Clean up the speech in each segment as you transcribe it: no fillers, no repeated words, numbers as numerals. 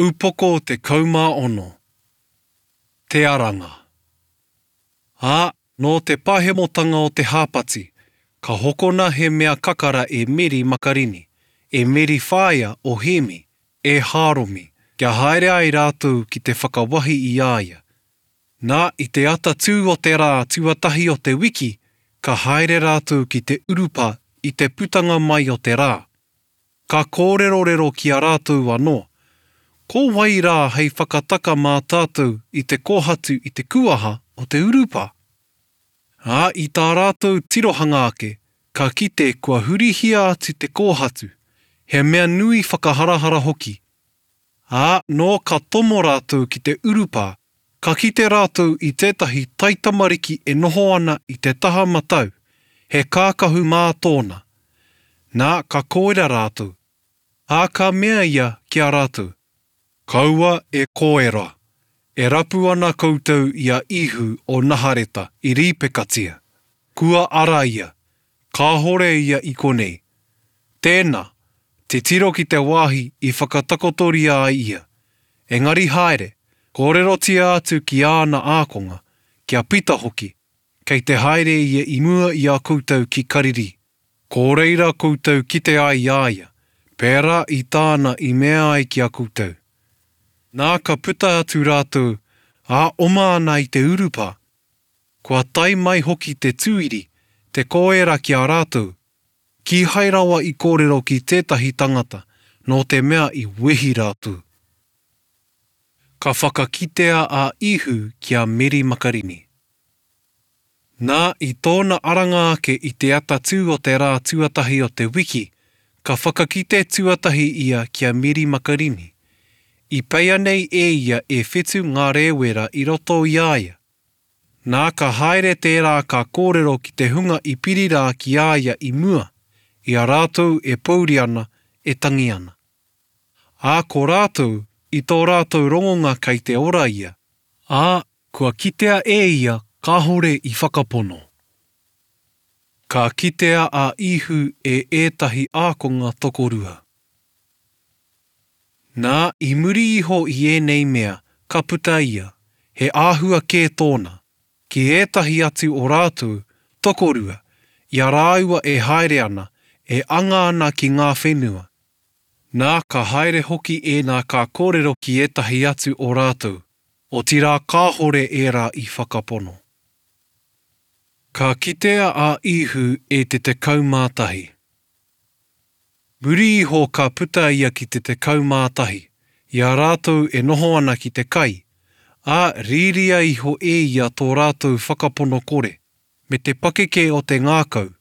Upoko 16. Te Aranga. Ā, nō te pahemotanga o te hāpati, ka hokona he mea kakara e Meri Makarini, e Meri whaea o Hēmi, e Hāromi, kia haere ai rātou ki te whakawahi i a ia. Nā, i te atatū o te rā tuatahi o te wiki, ka haere rātou ki te urupā i te putanga mai o te rā. Ka kōrerorero ki a rātou anō, Ko wai rā hei whakataka mā tātou i te kōhatu i te kuaha o te urupā? Ā, i tā rātou tirohanga ake, ka kite kua hurihia atu te kōhatu, he mea nui whakaharahara hoki. Ā, nō ka tomo rātou ki te urupā, ka kite rātou i tētahi taitamariki e noho ana i te taha matau, he kākahu mā tōna. Nā, ka koera rātou. Ā, ka mea ia ki a rātou, Kaua e koera, e rapu ana koutou i a Īhu o Nahareta i rīpekatia. Kua ara ia, kāhore ia i konei. Tēnā, titiro ki te wāhi i whakatakotoria ai ia. Engari haere, kōrerotia atu ki āna ākonga, ki a Pita hoki, kei te haere ia i mua i a koutou ki Karirī. Ko reira koutou kite ai i a ia, pērā i tāna i mea ai ki a koutou. Nā ka puta atu rātou, ā, oma ana i te urupā. Kua tae mai hoki te tūiri, te koera ki a rātou, kīhai rawa i kōrero ki tētahi tangata, nō te mea i wehi rātou. Ka whakakitea a Īhu ki a Meri Makarini. Nā, i tōna aranga ake i te atatū o te rā tuatahi o te wiki, ka whakakite tuatahi ia ki a Meri Makarini. I peia nei e ia e whitu ngā rēwera i roto i a ia. Nā, ka haere tērā ka kōrero ki te hunga i piri rā ki a ia i mua, i a rātou e pōuri ana, e tangi ana. Ā, ko rātou, i tō rātou rongonga kei te ora ia. Ā, Kua kitea e ia kāhore i whakapono. Ka kitea a Īhu e ētahi ākonga tokorua. Nā, i muri iho i ēnei mea, ka puta ia, he āhua kē tōna, ki ētahi atu o rātou, tokorua, i a rāua e haere ana, e anga ana ki ngā whenua. Nā, ka haere hoki ēnā ka kōrero ki ētahi atu o rātou, otirā kāhore ērā i whakapono. Ka kitea a Īhu e te 11. Muri iho ka puta ia ki te 11, i a rātou e noho ana ki te kai, ā, rīria iho e ia tō rātou whakapono kore, me te pakeke o te ngākau,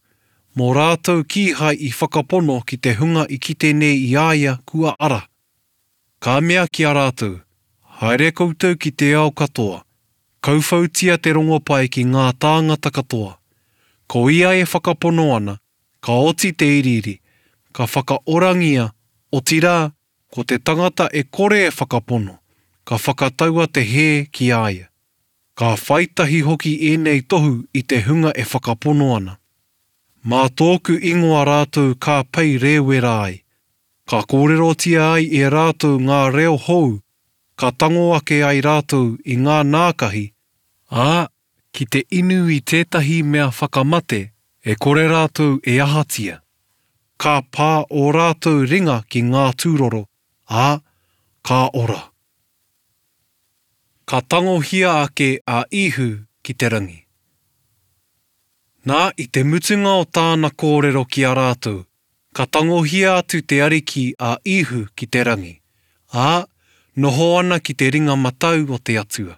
mō rātou kīhai i whakapono ki te hunga i kite nei i a ia kua ara. Ka mea ki a rātou, Haere koutou ki te ao katoa, kauwhautia te rongopai ki ngā tāngata katoa. Ko ia e whakapono ana, ka oti te iriiri, ka whakaorangia, otirā, ko te tangata e kore e whakapono, ka whakataua te hē ki a ia. Ka whai tahi hoki ēnei tohu i te hunga e whakapono ana. Mā tōku ingoa rātou ka pei rēwera ai, ka kōrerotia ai e rātou ngā reo hou, ka tango ake ai rātou i ngā nākahi, ā, ki te inu i tētahi mea whakamate e kore rātou e ahatia, ka pā ō rātou ringa ki ngā tūroro, ā, ka ora. Ka tangohia ake a Īhu ki te rangi. Nā, i te mutunga o tāna kōrero ki a rātou, ka tangohia atu te Ariki a Īhu ki te rangi, ā, noho ana ki te ringa matau o te Atua.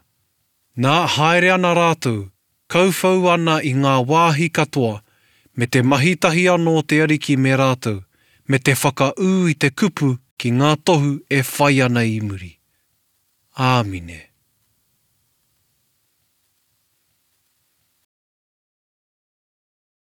Nā, haere ana rātou, kauwhau ana i ngā wāhi katoa, me te mahi tahi anō te Ariki me rātou, me te whakaū i te kupu ki ngā tohu e whai ana i muri. Āmine.